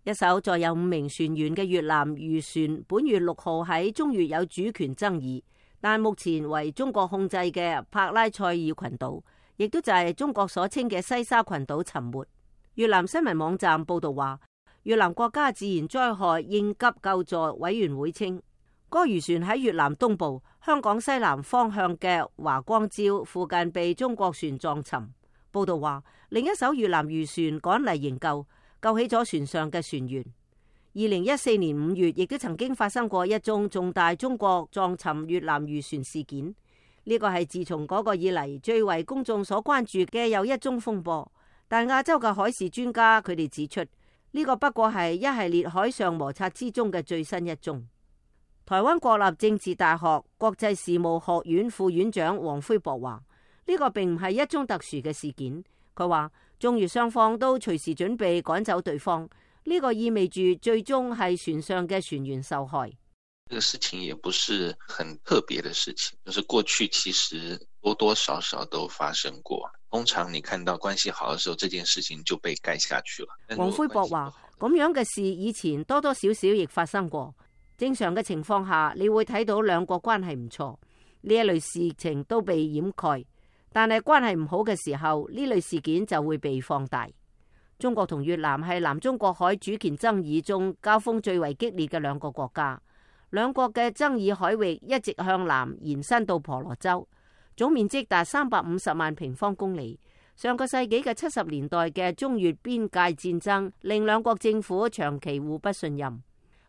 一艘載有5名船員嘅越南漁船本月6號喺中越有主權爭議，但目前為中國控制嘅帕拉塞爾群島，亦都就係中國所稱嘅西沙群島沉沒。越南新聞網站報道話，越南國家自然災害應急救助委員會稱，該漁船喺越南東部香港西南方向嘅華光礁附近被中國船撞沉。報道話，另一艘越南漁船趕嚟營救，救起咗船上嘅船員。2014年5月，亦都曾經發生過一宗重大中國撞沉越南漁船事件。呢個係自從嗰個以嚟最為公眾所關注嘅又一宗風波。但亞洲嘅海事專家佢哋指出，呢個不過係一系列海上摩擦之中嘅最新一宗。台灣國立政治大學國際事務學院副院長黃輝博話，呢個並唔係一宗特殊嘅事件。佢話中越雙方都隨時準備趕走對方，呢個意味住最終係船上嘅船員受害。這個事情也不是很特別的事情，就是過去其實多多少少都發生過。通常你看到關係好的時候，這件事情就被蓋下去了。黃輝博話，咁樣嘅事以前多多少少亦發生過。正常嘅情況下，你會睇到兩國關係唔錯，呢一類事情都被掩蓋。但係關係唔好嘅時候，呢類事件就會被放大。中國同越南係南中國海主權爭議中交鋒最為激烈嘅兩個國家。兩國嘅爭議海域一直向南延伸到婆羅洲，總面積達350萬平方公里。上個世紀嘅70年代嘅中越邊界戰爭令兩國政府長期互不信任，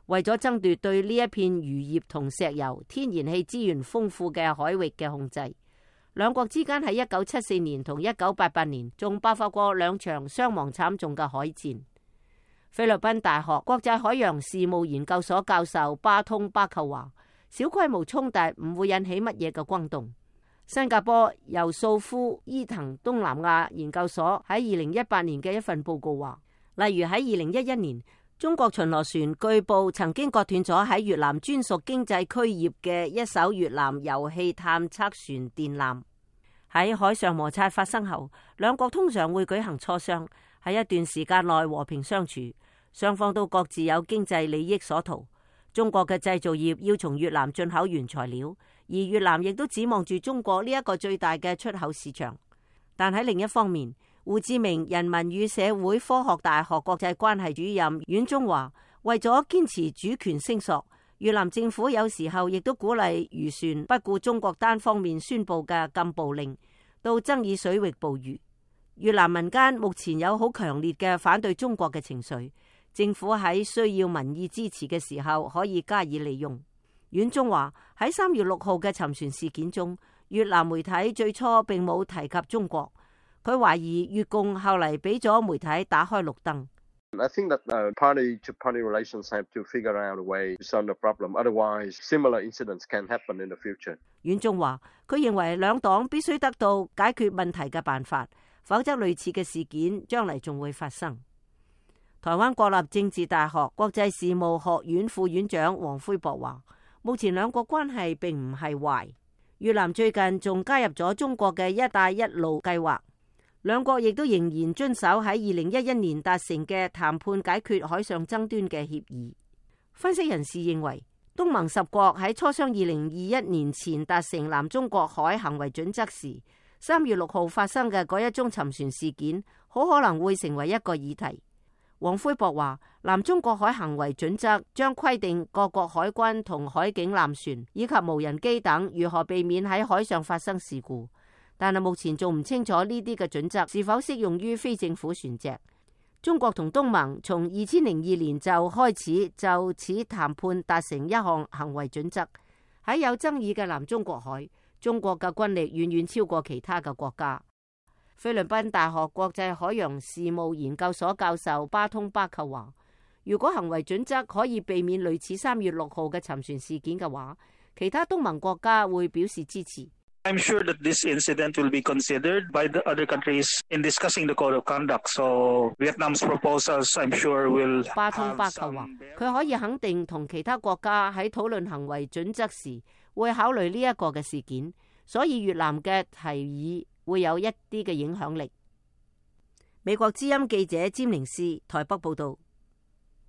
為咗爭奪對呢一片漁業同石油、天然氣資源豐富嘅海域嘅控制，兩國之間喺1974年同1988年仲爆發過兩場傷亡慘重嘅海戰。菲律賓大學國際海洋事務研究所教授巴通巴寇話，小規模衝突唔會引起乜嘢嘅轟動。新加坡由素夫伊藤東南亞研究所喺2018年嘅一份報告話，例如喺2011年，中國巡邏船據報曾經割斷咗喺越南專屬經濟區業嘅一艘越南油氣探測船電纜。喺海上摩擦發生後，兩國通常會舉行磋商，喺一段時間內和平相處，雙方都各自有經濟利益所圖。中國嘅製造業要從越南進口原材料，而越南亦都指望住中國呢一個最大嘅出口市場。但喺另一方面，胡志明人民與社會科學大學國際關係主任阮中華為咗堅持主權聲索，越南政府有時候亦都鼓勵漁船不顧中國單方面宣布嘅禁捕令，到爭議水域捕魚。越南民間目前有好強烈嘅反對中國嘅情緒，政府喺需要民意支持嘅時候可以加以利用。阮中華喺3月6號嘅沉船事件中，越南媒體最初並冇提及中國，佢懷疑越共後嚟俾咗媒體打開綠燈。I think that party-to-party relations have to figure out a way to solve the problem. Otherwise, similar incidents can happen in the future. 阮中華佢認為兩黨必須得到解決問題嘅辦法，否則類似嘅事件將嚟仲會發生。台灣國立政治大學國際事務學院副院長黃輝博話，目前兩國關係並唔係壞。越南最近仲加入咗中國嘅一帶一路計劃，兩國亦都仍然遵守喺2011年達成嘅談判解決海上爭端嘅協議。分析人士認為，東盟10國喺磋商2021年前達成南中國海行為準則時，3月6號發生嘅嗰一宗沉船事件，好可能會成為一個議題。黃輝博話，南中國海行為準則將規定各國海軍同海警艦船以及無人機等如何避免喺海上發生事故，但係目前仲唔清楚呢啲嘅準則是否適用於非政府船隻。中國同東盟從2002年就開始就此談判達成一項行為準則。喺有爭議嘅南中國海，中國嘅軍力遠遠超過其他嘅國家。菲律賓大學國際海洋事務研究所教授巴通巴寇話，如果行為準則可以避免類似3月6號嘅沉船事件嘅話，其他東盟國家會表示支持。I'm sure that this incident will be considered by the other countries in discussing the code of conduct. So Vietnam's proposals, I'm sure will. 巴通巴寇話，佢可以肯定同其他國家喺討論行為準則時會考慮呢一個嘅事件，所以越南嘅提議會有一啲嘅影響力。美國之音記者詹寧斯台北報道。